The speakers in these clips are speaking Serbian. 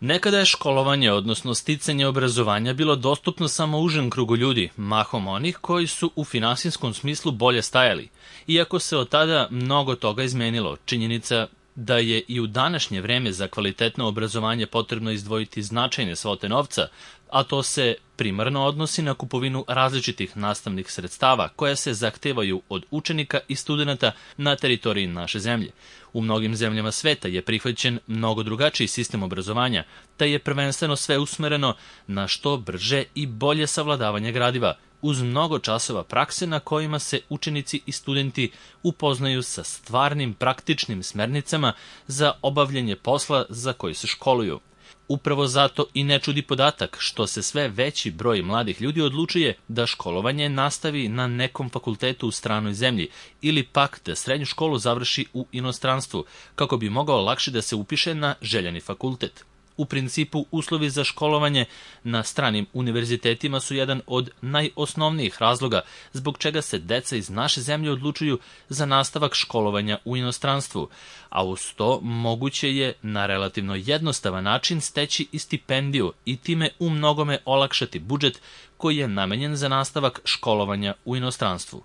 Nekada je školovanje, odnosno sticanje obrazovanja, bilo dostupno samo užem krugu ljudi, mahom onih koji su u finansijskom smislu bolje stajali. Iako se od tada mnogo toga izmenilo, činjenica da je i u današnje vreme za kvalitetno obrazovanje potrebno izdvojiti značajne svote novca, a to se primarno odnosi na kupovinu različitih nastavnih sredstava koja se zahtevaju od učenika i studenata na teritoriji naše zemlje. U mnogim zemljama sveta je prihvaćen mnogo drugačiji sistem obrazovanja, te je prvenstveno sve usmereno na što brže i bolje savladavanje gradiva, uz mnogo časova prakse na kojima se učenici i studenti upoznaju sa stvarnim praktičnim smernicama za obavljanje posla za koji se školuju. Upravo zato i ne čudi podatak što se sve veći broj mladih ljudi odlučuje da školovanje nastavi na nekom fakultetu u stranoj zemlji ili pak da srednju školu završi u inostranstvu, kako bi mogao lakše da se upiše na željeni fakultet. U principu, uslovi za školovanje na stranim univerzitetima su jedan od najosnovnijih razloga zbog čega se deca iz naše zemlje odlučuju za nastavak školovanja u inostranstvu, a uz to moguće je na relativno jednostavan način steći i stipendiju i time u mnogome olakšati budžet koji je namenjen za nastavak školovanja u inostranstvu.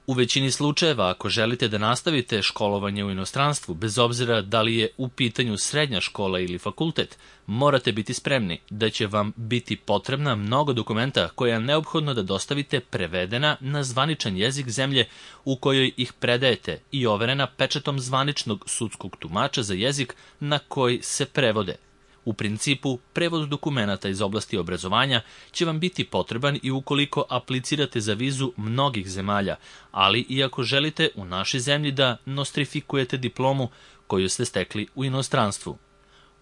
U većini slučajeva, ako želite da nastavite školovanje u inostranstvu, bez obzira da li je u pitanju srednja škola ili fakultet, morate biti spremni da će vam biti potrebna mnogo dokumenta koja je neophodno da dostavite prevedena na zvaničan jezik zemlje u kojoj ih predajete i overena pečatom zvaničnog sudskog tumača za jezik na koji se prevode. U principu, prevod dokumenata iz oblasti obrazovanja će vam biti potreban i ukoliko aplicirate za vizu mnogih zemalja, ali i ako želite u našoj zemlji da nostrifikujete diplomu koju ste stekli u inostranstvu.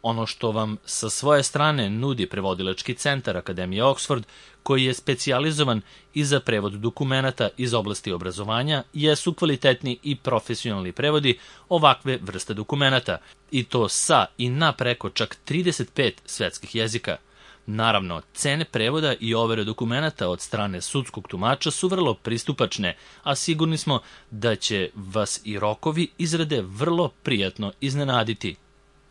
Ono što vam sa svoje strane nudi prevodilački centar Akademije Oxford, koji je specijalizovan i za prevod dokumenata iz oblasti obrazovanja, jesu kvalitetni i profesionalni prevodi ovakve vrste dokumenata, i to sa i na preko čak 35 svetskih jezika. Naravno, cene prevoda i overe dokumenata od strane sudskog tumača su vrlo pristupačne, a sigurni smo da će vas i rokovi izrade vrlo prijatno iznenaditi.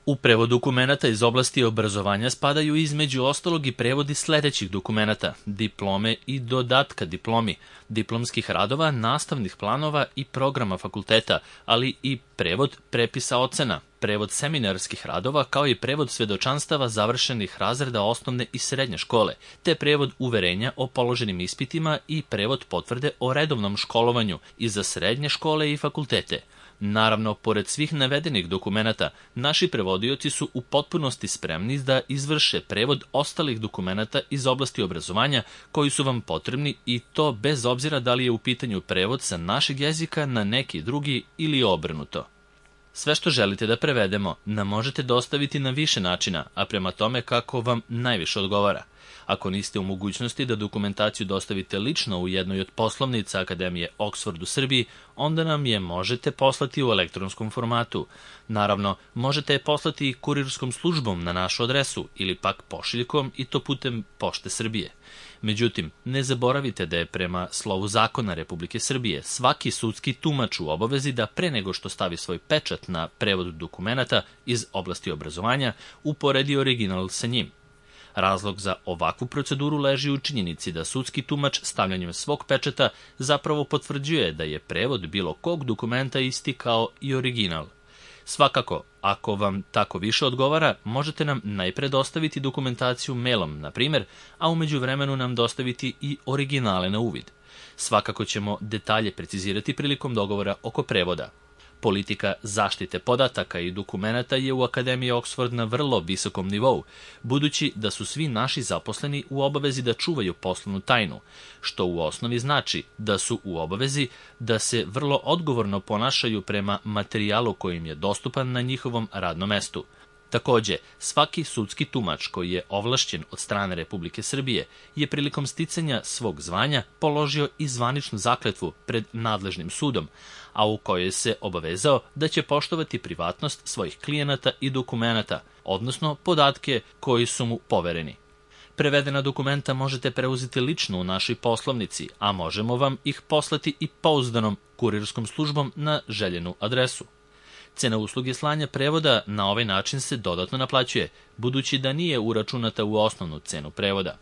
U prevod dokumenata iz oblasti obrazovanja spadaju između ostalog i prevodi sledećih dokumenata: diplome i dodatka diplomi, diplomskih radova, nastavnih planova i programa fakulteta, ali i prevod prepisa ocena, prevod seminarskih radova, kao i prevod svedočanstava završenih razreda osnovne i srednje škole, te prevod uverenja o položenim ispitima i prevod potvrde o redovnom školovanju i za srednje škole i fakultete. Naravno, pored svih navedenih dokumenata, naši prevodioci su u potpunosti spremni da izvrše prevod ostalih dokumenata iz oblasti obrazovanja koji su vam potrebni, i to bez obzira da li je u pitanju prevod sa našeg jezika na neki drugi ili obrnuto. Sve što želite da prevedemo nam možete dostaviti na više načina, a prema tome kako vam najviše odgovara. Ako niste u mogućnosti da dokumentaciju dostavite lično u jednoj od poslovnica Akademije Oxford u Srbiji, onda nam je možete poslati u elektronskom formatu. Naravno, možete je poslati i kurirskom službom na našu adresu ili pak pošiljkom, i to putem Pošte Srbije. Međutim, ne zaboravite da je prema slovu zakona Republike Srbije svaki sudski tumač u obavezi da pre nego što stavi svoj pečat na prevod dokumenata iz oblasti obrazovanja uporedi original sa njim. Razlog za ovakvu proceduru leži u činjenici da sudski tumač stavljanjem svog pečata zapravo potvrđuje da je prevod bilo kog dokumenta isti kao i original. Svakako, ako vam tako više odgovara, možete nam najpre dostaviti dokumentaciju mailom, na primjer, a u međuvremenu nam dostaviti i originale na uvid. Svakako ćemo detalje precizirati prilikom dogovora oko prevoda. Politika zaštite podataka i dokumenata je u Akademiji Oxford na vrlo visokom nivou, budući da su svi naši zaposleni u obavezi da čuvaju poslovnu tajnu, što u osnovi znači da su u obavezi da se vrlo odgovorno ponašaju prema materijalu koji im je dostupan na njihovom radnom mestu. Takođe, svaki sudski tumač koji je ovlašćen od strane Republike Srbije je prilikom sticanja svog zvanja položio i zvaničnu zakletvu pred nadležnim sudom, a u kojoj se obavezao da će poštovati privatnost svojih klijenata i dokumenata, odnosno podatke koji su mu povereni. Prevedena dokumenta možete preuzeti lično u našoj poslovnici, a možemo vam ih poslati i pouzdanom kurirskom službom na željenu adresu. Cena usluge slanja prevoda na ovaj način se dodatno naplaćuje, budući da nije uračunata u osnovnu cenu prevoda.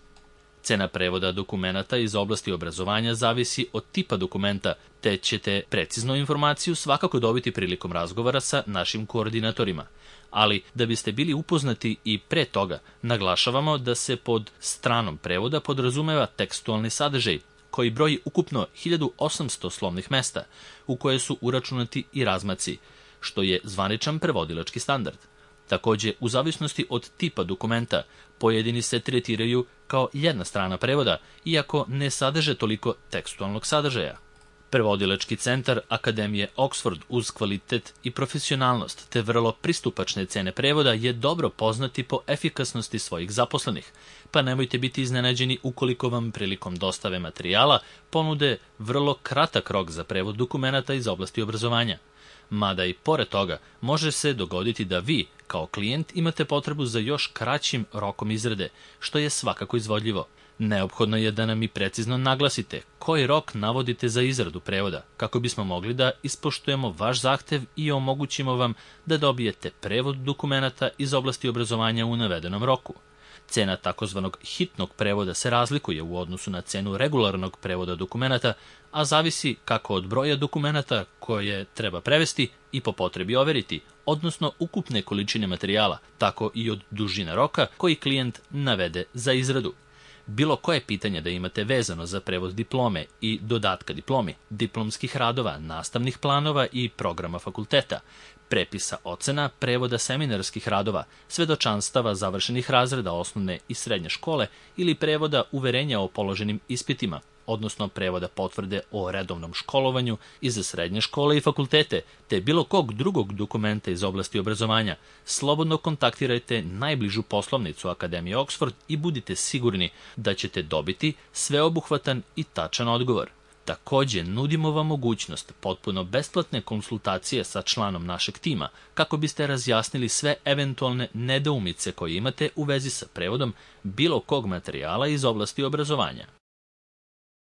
Cena prevoda dokumenata iz oblasti obrazovanja zavisi od tipa dokumenta, te ćete preciznu informaciju svakako dobiti prilikom razgovora sa našim koordinatorima. Ali, da biste bili upoznati i pre toga, naglašavamo da se pod stranom prevoda podrazumeva tekstualni sadržaj, koji broji ukupno 1800 slovnih mesta, u koje su uračunati i razmaci, što je zvaničan prevodilački standard. Takođe, u zavisnosti od tipa dokumenta, pojedini se tretiraju kao jedna strana prevoda, iako ne sadrže toliko tekstualnog sadržaja. Prevodilački centar Akademije Oxford uz kvalitet i profesionalnost te vrlo pristupačne cene prevoda je dobro poznati po efikasnosti svojih zaposlenih, pa nemojte biti iznenađeni ukoliko vam prilikom dostave materijala ponude vrlo kratak rok za prevod dokumenata iz oblasti obrazovanja. Mada i pored toga može se dogoditi da vi, kao klijent, imate potrebu za još kraćim rokom izrade, što je svakako izvodljivo. Neophodno je da nam i precizno naglasite koji rok navodite za izradu prevoda, kako bismo mogli da ispoštujemo vaš zahtev i omogućimo vam da dobijete prevod dokumenata iz oblasti obrazovanja u navedenom roku. Cena takozvanog hitnog prevoda se razlikuje u odnosu na cenu regularnog prevoda dokumenata, a zavisi kako od broja dokumenata koje treba prevesti i po potrebi overiti, odnosno ukupne količine materijala, tako i od dužine roka koji klijent navede za izradu. Bilo koje pitanje da imate vezano za prevod diplome i dodatka diplomi, diplomskih radova, nastavnih planova i programa fakulteta, prepisa ocena, prevoda seminarskih radova, svedočanstava završenih razreda osnovne i srednje škole ili prevoda uverenja o položenim ispitima, odnosno prevoda potvrde o redovnom školovanju i za srednje škole i fakultete, te bilo kog drugog dokumenta iz oblasti obrazovanja, slobodno kontaktirajte najbližu poslovnicu Akademije Oxford i budite sigurni da ćete dobiti sveobuhvatan i tačan odgovor. Takođe, nudimo vam mogućnost potpuno besplatne konsultacije sa članom našeg tima, kako biste razjasnili sve eventualne nedoumice koje imate u vezi sa prevodom bilo kog materijala iz oblasti obrazovanja.